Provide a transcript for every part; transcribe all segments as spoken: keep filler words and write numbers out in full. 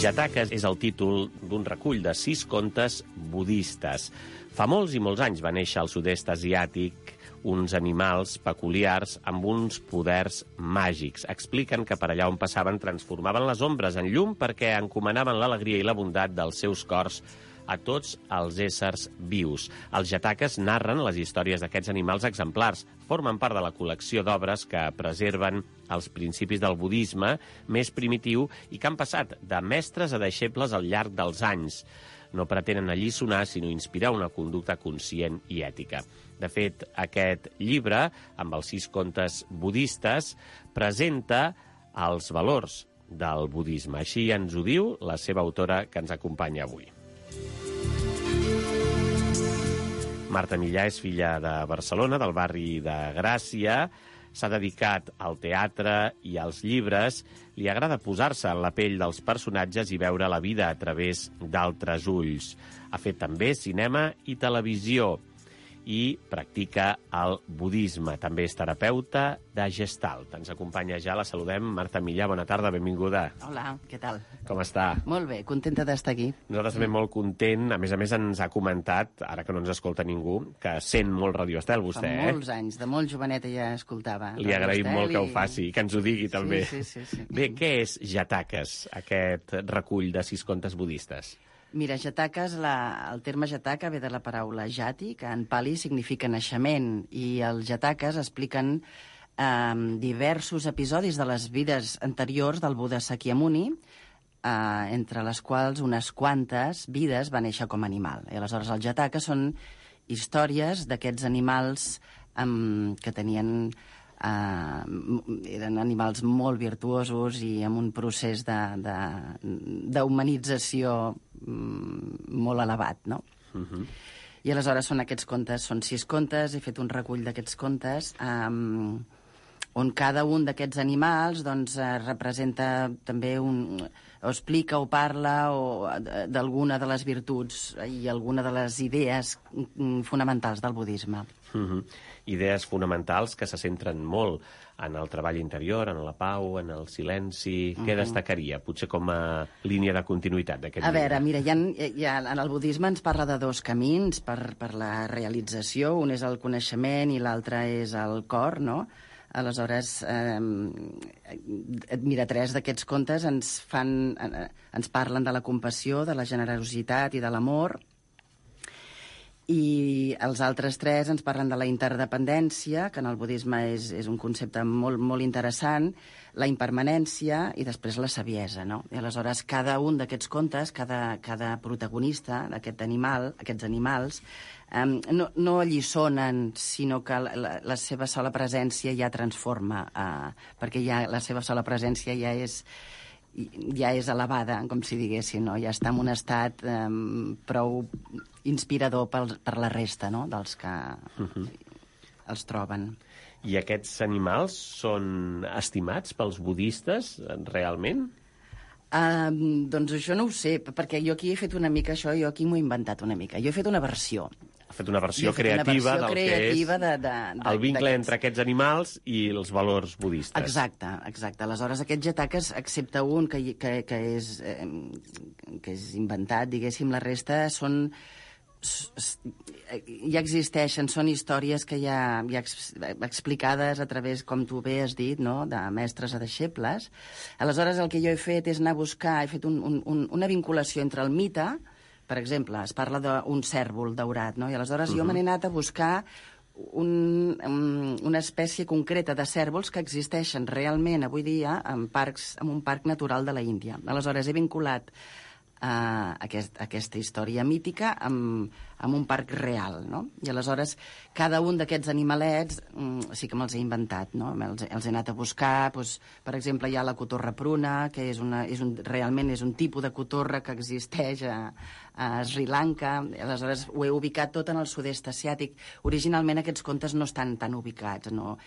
Jatakas és el títol d'un recull de sis contes budistes. Fa molts i molts anys va néixer al sud-est asiàtic uns animals peculiars amb uns poders màgics. Expliquen que per allà on passaven transformaven les ombres en llum perquè encomanaven l'alegria i la bondat dels seus cors a tots els éssers vius. Els Jatakas narren les històries d'aquests animals exemplars. Formen part de la col·lecció d'obres que preserven els principis del budisme més primitiu i que han passat de mestres a deixebles al llarg dels anys. No pretenen alliçonar, sinó inspirar una conducta conscient i ètica. De fet, aquest llibre, amb els sis contes budistes, presenta els valors del budisme. Així ens ho diu la seva autora que ens acompanya avui. Marta Millà és filla de Barcelona, del barri de Gràcia. S'ha dedicat al teatre i als llibres. Li agrada posar-se en la pell dels personatges i veure la vida a través d'altres ulls. Ha fet també cinema i televisió i practica el budisme. També és terapeuta de Gestalt. Ens acompanya ja, la saludem. Marta Millà, bona tarda, benvinguda. Hola, què tal? Com està? Molt bé, contenta d'estar aquí. Nosaltres també molt content. A més a més ens ha comentat, ara que no ens escolta ningú, que sent molt Radio Estel, vostè, eh? Fa molts anys, de molt joveneta ja escoltava. Li agraïm molt que ho faci, que ens ho digui també. Sí, sí, sí, sí. Bé, què és Jatakas, aquest recull de sis contes budistes? Mira, Jatakas, la, el terme Jataka ve de la paraula jati, que en pali significa naixement, i els Jatakas expliquen eh, diversos episodis de les vides anteriors del Buda Sakyamuni, eh, entre les quals unes quantes vides va néixer com a animal. I aleshores els Jatakas són històries d'aquests animals eh, que tenien... Uh, eren animals molt virtuosos i amb un procés d'humanització um, molt elevat, no? Uh-huh. I aleshores són aquests contes, són sis contes, he fet un recull d'aquests contes um, on cada un d'aquests animals doncs, uh, representa també un... o explica o parla o, d'alguna de les virtuts i alguna de les idees fonamentals del budisme. Uh-huh. Idees fonamentals que se centren molt en el treball interior, en la pau, en el silenci. Uh-huh. Què destacaria, potser com a línia de continuïtat d'aquest llibre? A veure, mira, hi ha, hi ha, en el budisme ens parla de dos camins per, per la realització. Un és el coneixement i l'altre és el cor, no? Aleshores, eh, mira, tres d'aquests contes ens, fan, eh, ens parlen de la compassió, de la generositat i de l'amor, i els altres tres ens parlen de la interdependència, que en el budisme és, és un concepte molt, molt interessant, la impermanència i després la saviesa, no? I aleshores cada un d'aquests contes, cada, cada protagonista d'aquest animal, aquests animals, um, no, no alliçonen, sinó que la, la, la seva sola presència ja transforma, uh, perquè ja, la seva sola presència ja és... ja és elevada, com si diguéssim, no? Ja està en un estat um, prou inspirador pel, per la resta, no?, dels que uh-huh. els troben. I aquests animals són estimats pels budistes, realment? Uh, doncs això no ho sé, perquè jo aquí he fet una mica això, jo aquí m'ho he inventat una mica. Jo he fet una versió. Ha fet una versió fet creativa una versió del creativa que és de, de, de, el vincle entre aquests animals i els valors budistes. Exacte, exacte. Aleshores, aquests Jatakas, excepte un que, que, que, és, eh, que és inventat, diguéssim, la resta són... ja existeixen, són històries que ja, ja explicades a través, com tu bé has dit, no?, de mestres a deixebles. Aleshores, el que jo he fet és anar a buscar, he fet un, un, una vinculació entre el mite, per exemple, es parla d'un cèrvol daurat, no?, i aleshores uh-huh. jo me n'he anat a buscar un, um, una espècie concreta de cèrvols que existeixen realment avui dia en, parcs, en un parc natural de la Índia. Aleshores, he vinculat Uh, aquest, aquesta història mítica amb, amb un parc real, no? I aleshores cada un d'aquests animalets um, sí que me'ls he inventat, no? Els, els he anat a buscar, doncs, per exemple, hi ha la cotorra pruna, que és una, és un, realment és un tipus de cotorra que existeix a, a Sri Lanka. Aleshores ho he ubicat tot en el sud-est asiàtic. Originalment aquests contes no estan tan ubicats, no?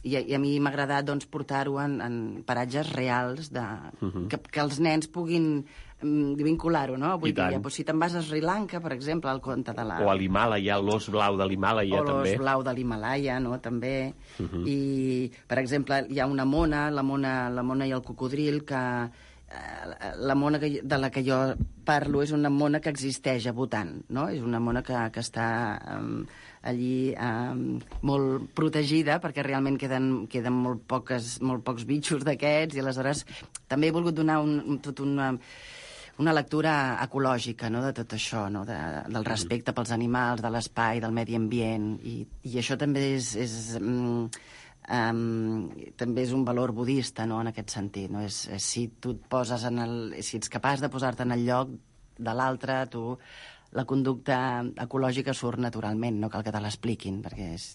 I, i a mi m'ha agradat, doncs, portar-ho en, en paratges reals de, uh-huh. que, que els nens puguin vincular-ho, no? Avui dia, doncs, si te'n vas a Sri Lanka, per exemple, al conte de la... O a l'Himàlaia, l'os blau de l'Himàlaia, també. O l'os blau de l'Himàlaia, no?, també. Uh-huh. I, per exemple, hi ha una mona, la mona, la mona i el cocodril, que la mona que, de la que jo parlo és una mona que existeix a Bhutan, no? És una mona que, que està um, allí um, molt protegida, perquè realment queden, queden molt, poques, molt pocs bitxos d'aquests, i aleshores també he volgut donar un, tot una, una lectura ecològica, no?, de tot això, no?, de, del respecte pels animals, de l'espai, del medi ambient, i, i això també és... és um, Um, també és un valor budista, no?, en aquest sentit, no? És, és si tu et poses en el... si ets capaç de posar-te en el lloc de l'altre, tu... la conducta ecològica surt naturalment, no cal que te l'expliquin, perquè és,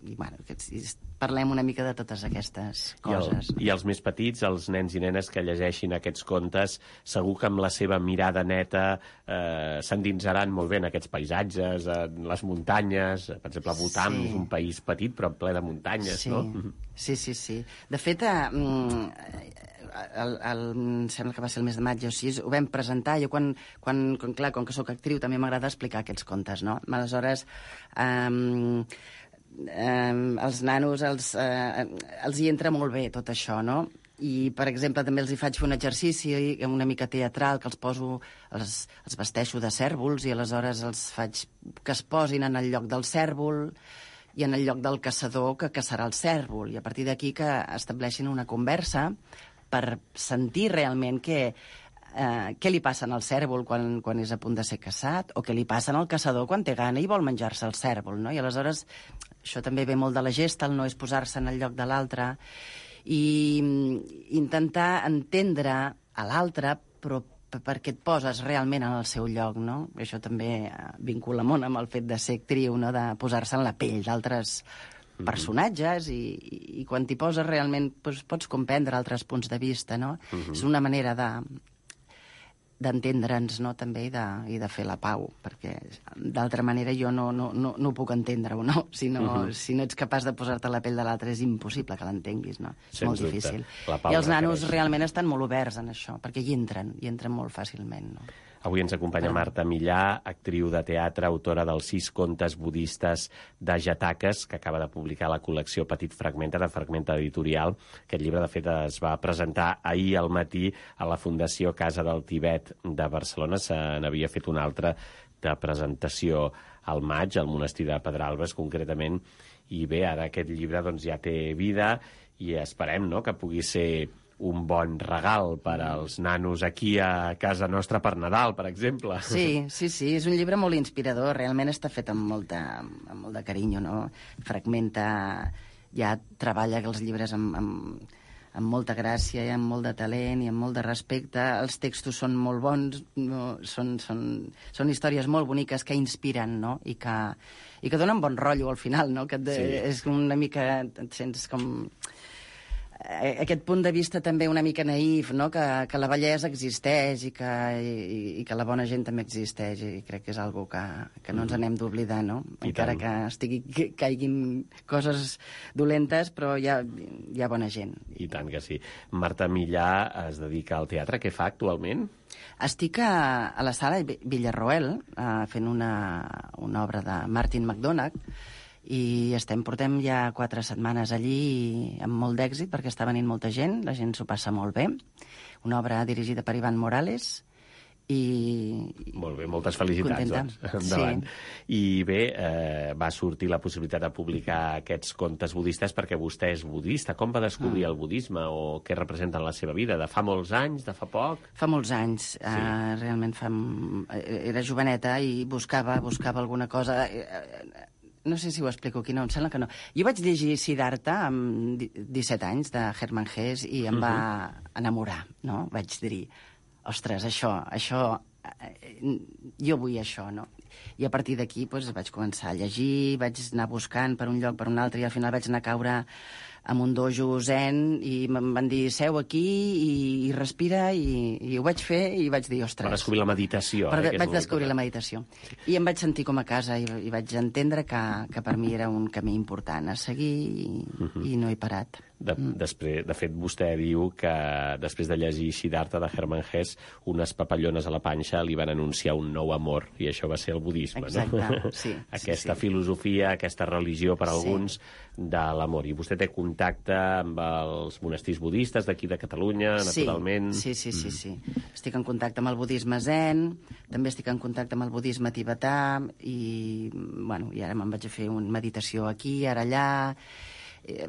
i, bueno, que és, parlem una mica de totes aquestes coses. I, el, I els més petits, els nens i nenes que llegeixin aquests contes, segur que amb la seva mirada neta eh, s'endinsaran molt bé en aquests paisatges, en les muntanyes. Per exemple, Bhutan sí. és un país petit però ple de muntanyes, sí. no? Sí, sí, sí. De fet, eh, El, el, em sembla que va ser el mes de maig o així, ho vam presentar. Jo, quan, quan, quan, clar, com que sóc actriu, també m'agrada explicar aquests contes, no? Aleshores, um, um, els nanos els, uh, els hi entra molt bé tot això, no? I, per exemple, també els hi faig fer un exercici una mica teatral, que els poso, els, els vesteixo de cèrvols, i aleshores els faig que es posin en el lloc del cèrvol i en el lloc del caçador que caçarà el cèrvol, i a partir d'aquí que estableixin una conversa per sentir realment què, eh, què li passa al cèrvol quan, quan és a punt de ser caçat, o què li passa al caçador quan té gana i vol menjar-se el cèrvol, no? I aleshores, això també ve molt de la Gestalt, no?, és posar-se en el lloc de l'altre i intentar entendre a l'altre, però perquè et poses realment en el seu lloc, no? Això també vincula molt amb el fet de ser actriu, no?, de posar-se en la pell d'altres personatges, i, i quan t'hi poses realment doncs, pots comprendre altres punts de vista, no? Uh-huh. És una manera de d'entendre'ns, no?, també, i de, i de fer la pau, perquè d'altra manera jo no, no, no, no ho puc entendre-ho, no? Si no, uh-huh. si no ets capaç de posar-te a la pell de l'altre és impossible que l'entenguis, no? És Sens molt dubte. difícil. I els nanos realment estan molt oberts en això, perquè hi entren, hi entren molt fàcilment, no? Avui ens acompanya Marta Millà, actriu de teatre, autora dels sis contes budistes de Jataques, que acaba de publicar la col·lecció Petit Fragmenta, de Fragmenta Editorial. Aquest llibre, de fet, es va presentar ahir al matí a la Fundació Casa del Tibet de Barcelona. Se n'havia fet una altra de presentació al maig, al monestir de Pedralbes, concretament. I bé, ara aquest llibre doncs, ja té vida i esperem, no?, que pugui ser un bon regal per als nanos aquí a casa nostra per Nadal, per exemple. Sí, sí, sí, és un llibre molt inspirador, realment està fet amb, molta, amb molt de carinyo, no? Fragmenta, ja treballa els llibres amb, amb, amb molta gràcia i amb molt de talent i amb molt de respecte. Els textos són molt bons, no? són, són, són històries molt boniques que inspiren, no?, i que, i que donen bon rotllo al final, no? Que et, sí. És una mica, et sents com... aquest punt de vista també una mica naïf, no?, que, que la bellesa existeix i que, i, i que la bona gent també existeix, i crec que és algo que, que no ens n'hem d'oblidar, no? I encara tant. Que estigui, que caiguin coses dolentes, però hi ha, hi ha bona gent. I tant que sí. Marta Millà es dedica al teatre. Què fa actualment? Estic a, a la sala Villarroel uh, fent una, una obra de Martin McDonagh, i estem, portem ja quatre setmanes allí amb molt d'èxit, perquè està venint molta gent, la gent s'ho passa molt bé. Una obra dirigida per Ivan Morales, i... Molt bé, moltes felicitats, doncs, endavant. Sí. I bé, eh, va sortir la possibilitat de publicar aquests contes budistes perquè vostè és budista. Com va descobrir mm. el budisme, o què representa en la seva vida? De fa molts anys, de fa poc? Fa molts anys, sí. uh, realment fa... Era joveneta i buscava, buscava alguna cosa... No sé si ho explico aquí, no, em sembla que no. Jo vaig llegir Siddhartha amb disset anys, de Hermann Hesse, i em uh-huh. va enamorar, no? Vaig dir, ostres, això, això, jo vull això, no? I a partir d'aquí doncs, vaig començar a llegir, vaig anar buscant per un lloc, per un altre, i al final vaig anar a caure amb un dojo zen, i em van dir, seu aquí i, i respira, i, i ho vaig fer, i vaig dir, ostres... Va descobrir la meditació. Eh, vaig descobrir la meditació. Sí. I em vaig sentir com a casa, i, i vaig entendre que, que per mi era un camí important a seguir, i, uh-huh. i no he parat. De, mm. després, de fet, vostè diu que després de llegir Siddhartha de Hermann Hesse, unes papallones a la panxa li van anunciar un nou amor, i això va ser el budisme, Exacte, no? sí. Aquesta sí, sí. filosofia, aquesta religió per a alguns sí. de l'amor. I vostè té contacte amb els monestirs budistes d'aquí de Catalunya, naturalment? Sí, sí, sí, sí, sí. Estic en contacte amb el budisme zen, també estic en contacte amb el budisme tibetà, i, bueno, i ara me'n vaig a fer una meditació aquí, ara allà.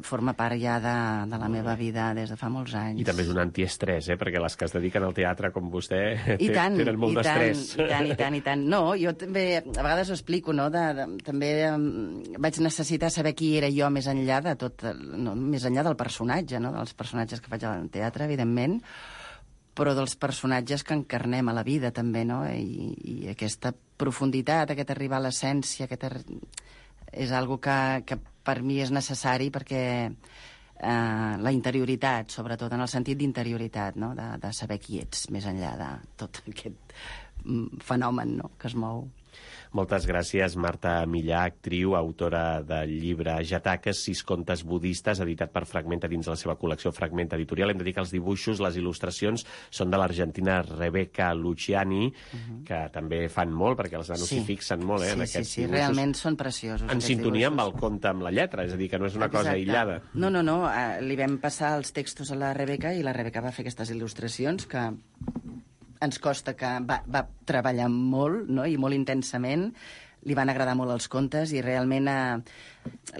Forma part ja de, de la meva vida des de fa molts anys. I també és un antiestrès, eh? Perquè les que es dediquen al teatre, com vostè, I tant, tenen molt d'estrès. I tant, i tant, i tant. No, jo també, a vegades ho explico, no? De, de, també um, vaig necessitar saber qui era jo més enllà de tot, no, més enllà del personatge, no? Dels personatges que faig al teatre, evidentment, però dels personatges que encarnem a la vida, també, no? I, i aquesta profunditat, aquest arribar a l'essència, aquest ar... és algo que, que per mi és necessari, perquè eh, la interioritat, sobretot en el sentit d'interioritat, no? de, de saber qui ets, més enllà de tot aquest fenomen, no? que es mou. Moltes gràcies, Marta Millà, actriu, autora del llibre Jataques, sis contes budistes, editat per Fragmenta dins la seva col·lecció Fragmenta Editorial. Hem de dir que els dibuixos, les il·lustracions, són de l'argentina Rebecca Luciani, uh-huh. que també fan molt, perquè els nanos s'hi sí. fixen molt, eh, sí, en aquests sí, sí, dibuixos. Realment són preciosos. En sintonia dibuixos. amb el conte, amb la lletra, és a dir, que no és una Exacte. cosa aïllada. No, no, no, uh, li vam passar els textos a la Rebecca, i la Rebecca va fer aquestes il·lustracions que ens costa, que va, va treballar molt, no? I molt intensament. Li van agradar molt els contes, i realment eh,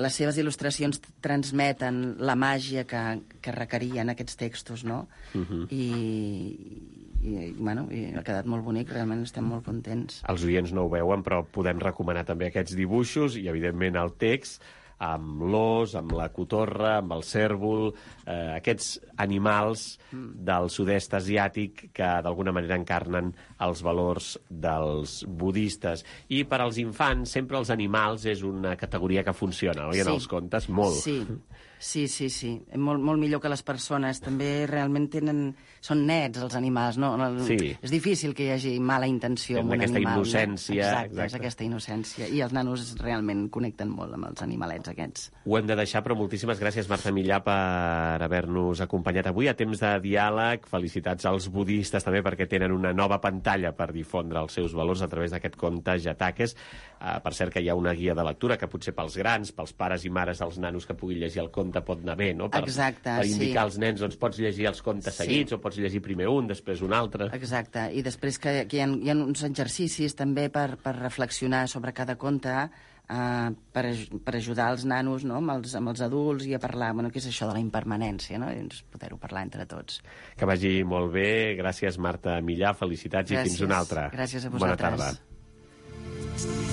les seves il·lustracions transmeten la màgia que, que requerien aquests textos, no? Uh-huh. I, i, i, bueno, i ha quedat molt bonic, realment estem molt contents. Els oients no ho veuen, però podem recomanar també aquests dibuixos i, evidentment, el text, amb l'os, amb la cotorra, amb el cèrvol, eh, aquests animals del sud-est asiàtic que d'alguna manera encarnen els valors dels budistes. I per als infants sempre els animals és una categoria que funciona, oi, sí. en els contes? Molt. Sí, sí, sí, sí. Molt, molt millor que les persones. També realment tenen... Són nets, els animals, no? Sí. És difícil que hi hagi mala intenció amb un aquesta animal. Innocència. No? Exacte, exacte, és aquesta innocència. I els nanos realment connecten molt amb els animalets aquests. Ho hem de deixar, però moltíssimes gràcies, Marta Millà, per haver-nos acompanyat avui a Temps de Diàleg. Felicitats als budistes també, perquè tenen una nova pantalla per difondre els seus valors a través d'aquest conte Jataques. Uh, per cert, que hi ha una guia de lectura que potser pels grans, pels pares i mares dels nanos que puguin llegir el conte pot anar bé, no? Per, Exacte, per indicar sí. als nens, doncs pots llegir els contes sí. seguits, o pots llegir primer un, després un altre. Exacte, i després que, que hi, ha, hi ha uns exercicis també per, per reflexionar sobre cada conte, Uh, per, per ajudar els nanos, no? amb, els, amb els adults, i a parlar, bueno, què és això de la impermanència, no? I doncs poder-ho parlar entre tots. Que vagi molt bé. Gràcies, Marta Millà, felicitats. Gràcies. I fins una altra. Gràcies a vosaltres. Bona tarda.